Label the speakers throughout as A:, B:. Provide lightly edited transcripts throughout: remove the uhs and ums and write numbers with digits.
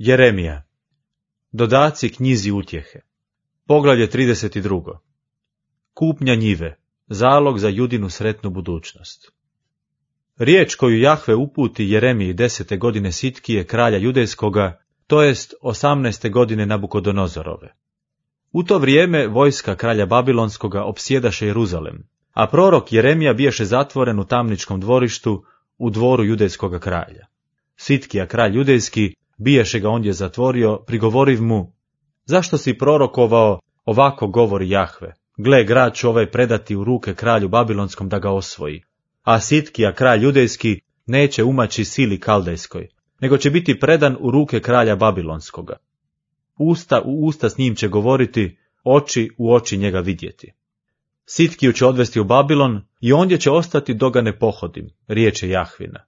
A: Jeremija. Dodaci knjizi utjehe. Poglavlje 32. Kupnja njive. Zalog za Judinu sretnu budućnost. Riječ koju Jahve uputi Jeremiji 10. godine Sitkije, kralja Judejskoga, to jest 18. godine Nabukodonozorove. U to vrijeme vojska kralja Babilonskoga opsjedaše Jeruzalem, a prorok Jeremija biješe zatvoren u tamničkom dvorištu u dvoru Judejskoga kralja. Sitkija, kralj Judejski, biješe ga ondje zatvorio, prigovoriv mu: zašto si prorokovao, ovako govori Jahve, gle, grad ću ovaj predati u ruke kralju Babilonskom da ga osvoji, a Sitkija, kralj Judejski, neće umaći sili kaldejskoj, nego će biti predan u ruke kralja Babilonskoga. Usta u usta s njim će govoriti, oči u oči njega vidjeti. Sitkiju će odvesti u Babilon i ondje će ostati dok ga ne pohodim, riječ je Jahvina.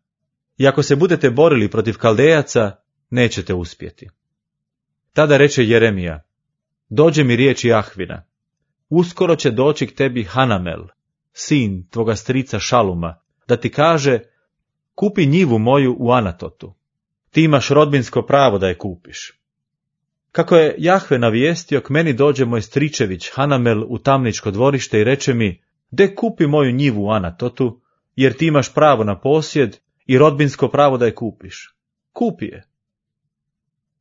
A: I ako se budete borili protiv Kaldejaca, nećete uspjeti. Tada reče Jeremija: dođe mi riječ Jahvina, uskoro će doći k tebi Hanamel, sin tvoga strica Šaluma, da ti kaže: kupi njivu moju u Anatotu. Ti imaš rodbinsko pravo da je kupiš. Kako je Jahve navijestio, k meni dođe moj stričević Hanamel u tamničko dvorište i reče mi: de kupi moju njivu u Anatotu, jer ti imaš pravo na posjed i rodbinsko pravo da je kupiš. Kupi je.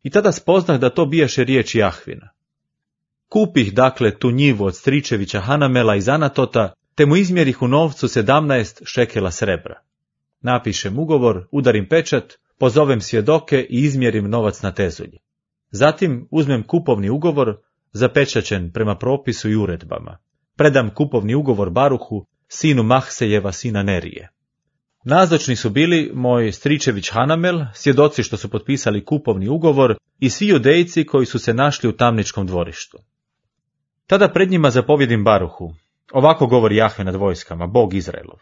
A: I tada spoznah da to biješe riječ Jahvina. Kupih dakle tu njivu od stričevića Hanamela iz Anatota, te mu izmjerih u novcu 17 šekela srebra. Napišem ugovor, udarim pečat, pozovem svjedoke i izmjerim novac na tezulji. Zatim uzmem kupovni ugovor, zapečaćen prema propisu i uredbama. Predam kupovni ugovor Baruhu, sinu Mahsejeva, sina Nerije. Nazočni su bili moj stričević Hanamel, svjedoci što su potpisali kupovni ugovor, i svi Judejci koji su se našli u tamničkom dvorištu. Tada pred njima zapovjedim Baruhu: ovako govori Jahve nad vojskama, Bog Izraelov.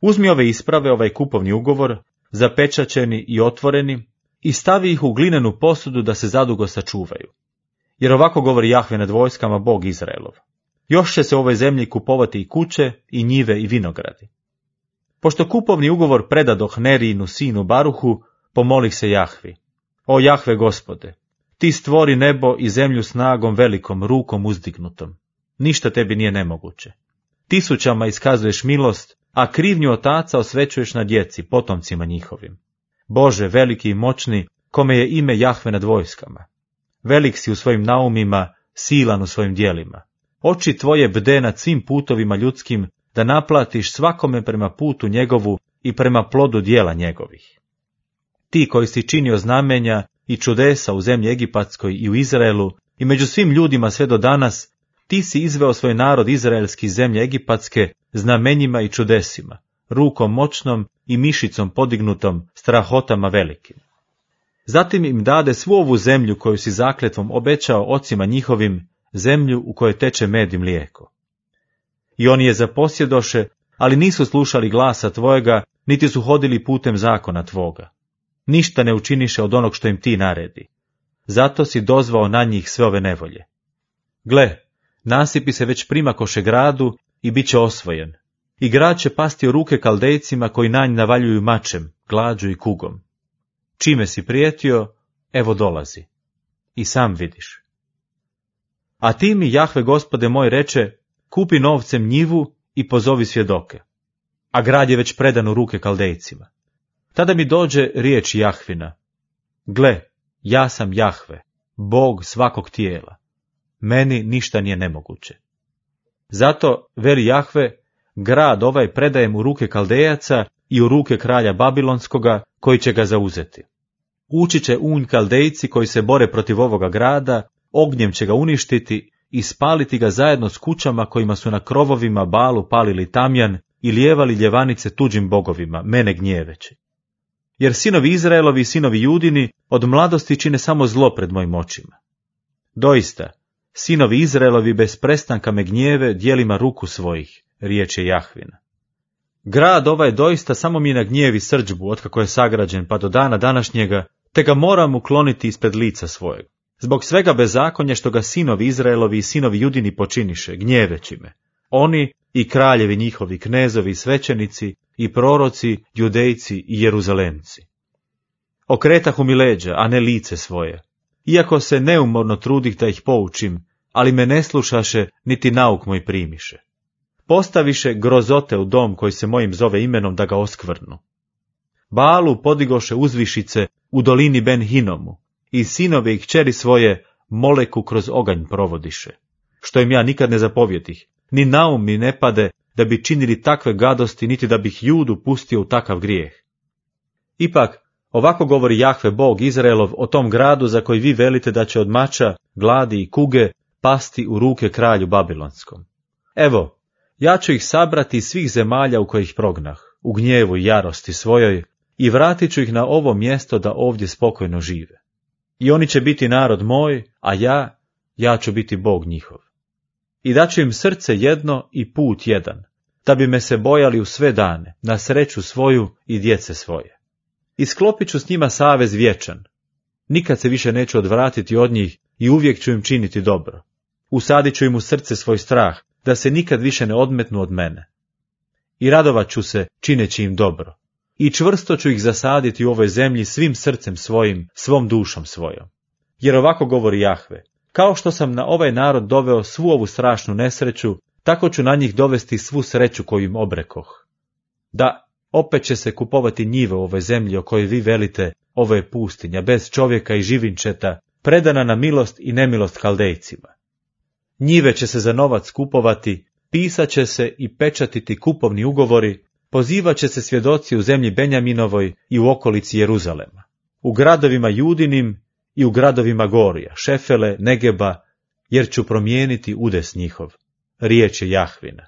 A: Uzmi ove isprave, ovaj kupovni ugovor, zapečaćeni i otvoreni, i stavi ih u glinenu posudu da se zadugo sačuvaju. Jer ovako govori Jahve nad vojskama, Bog Izraelov: još će se u ovoj zemlji kupovati i kuće, i njive, i vinogradi. Pošto kupovni ugovor predadoh Nerijinu sinu Baruhu, pomolih se Jahvi: o Jahve Gospode, ti stvori nebo i zemlju snagom velikom, rukom uzdignutom. Ništa tebi nije nemoguće. Tisućama iskazuješ milost, a krivnju otaca osvećuješ na djeci, potomcima njihovim. Bože, veliki i moćni, kome je ime Jahve nad vojskama. Velik si u svojim naumima, silan u svojim djelima. Oči tvoje bde nad svim putovima ljudskim, da naplatiš svakome prema putu njegovu i prema plodu djela njegovih. Ti koji si činio znamenja i čudesa u zemlji Egipatskoj i u Izraelu i među svim ljudima sve do danas, ti si izveo svoj narod izraelski iz zemlje Egipatske znamenjima i čudesima, rukom moćnom i mišicom podignutom, strahotama velikim. Zatim im dade svu ovu zemlju koju si zakletvom obećao ocima njihovim, zemlju u kojoj teče med i mlijeko. I oni je zaposjedoše, ali nisu slušali glasa tvojega, niti su hodili putem zakona tvoga. Ništa ne učiniše od onog što im ti naredi. Zato si dozvao na njih sve ove nevolje. Gle, nasipi se već primakoše gradu i bit će osvojen. I grad će pasti u ruke Kaldejcima koji na nj navaljuju mačem, glađu i kugom. Čime si prijetio, evo dolazi. I sam vidiš. A ti mi, Jahve Gospode moj, reče: kupi novcem njivu i pozovi svjedoke. A grad je već predan u ruke Kaldejcima. Tada mi dođe riječ Jahvina: gle, ja sam Jahve, Bog svakog tijela. Meni ništa nije nemoguće. Zato, veli Jahve, grad ovaj predajem u ruke Kaldejaca i u ruke kralja Babilonskoga, koji će ga zauzeti. Ući će unj Kaldejci koji se bore protiv ovoga grada, ognjem će ga uništiti i spaliti ga zajedno s kućama kojima su na krovovima Balu palili tamjan i lijevali ljevanice tuđim bogovima, mene gnjeveći. Jer sinovi Izraelovi i sinovi Judini od mladosti čine samo zlo pred mojim očima. Doista, sinovi Izraelovi bez prestanka me gnjeve djelima ruku svojih, riječ je Jahvina. Grad ovaj doista samo mi nagnjevi srdžbu otkako je sagrađen pa do dana današnjega, te ga moram ukloniti ispred lica svojeg. Zbog svega bezakonja što ga sinovi Izraelovi i sinovi Judini počiniše, gnjeveći me. Oni i kraljevi njihovi, knezovi, svećenici i proroci, Judejci i Jeruzalemci. Okretahu mi leđa, a ne lice svoje. Iako se neumorno trudih da ih poučim, ali me ne slušaše, niti nauk moj primiše. Postaviše grozote u dom koji se mojim zove imenom da ga oskvrnu. Baalu podigoše uzvišice u dolini Ben Hinomu, i sinove i kćeri svoje Moleku kroz oganj provodiše. Što im ja nikad ne zapovjetih, ni naum mi ne pade da bi činili takve gadosti, niti da bih Judu pustio u takav grijeh. Ipak, ovako govori Jahve Bog Izraelov o tom gradu za koji vi velite da će od mača, gladi i kuge pasti u ruke kralju Babilonskom. Evo, ja ću ih sabrati iz svih zemalja u kojih prognah, u gnjevu i jarosti svojoj, i vratit ću ih na ovo mjesto da ovdje spokojno žive. I oni će biti narod moj, a ja ću biti Bog njihov. I daću im srce jedno i put jedan, da bi me se bojali u sve dane, na sreću svoju i djece svoje. I sklopit ću s njima savez vječan. Nikad se više neću odvratiti od njih i uvijek ću im činiti dobro. Usadit ću im u srce svoj strah, da se nikad više ne odmetnu od mene. I radovat ću se čineći im dobro. I čvrsto ću ih zasaditi u ovoj zemlji svim srcem svojim, svom dušom svojom. Jer ovako govori Jahve, kao što sam na ovaj narod doveo svu ovu strašnu nesreću, tako ću na njih dovesti svu sreću koju im obrekoh. Da, opet će se kupovati njive u ovoj zemlji o kojoj vi velite, ovo je pustinja, bez čovjeka i živinčeta, predana na milost i nemilost Kaldejcima. Njive će se za novac kupovati, pisat će se i pečatiti kupovni ugovori, pozivat će se svjedoci u zemlji Benjaminovoj i u okolici Jeruzalema, u gradovima Judinim i u gradovima Gorija, Šefele, Negeba, jer ću promijeniti udes njihov. Riječ je Jahvina.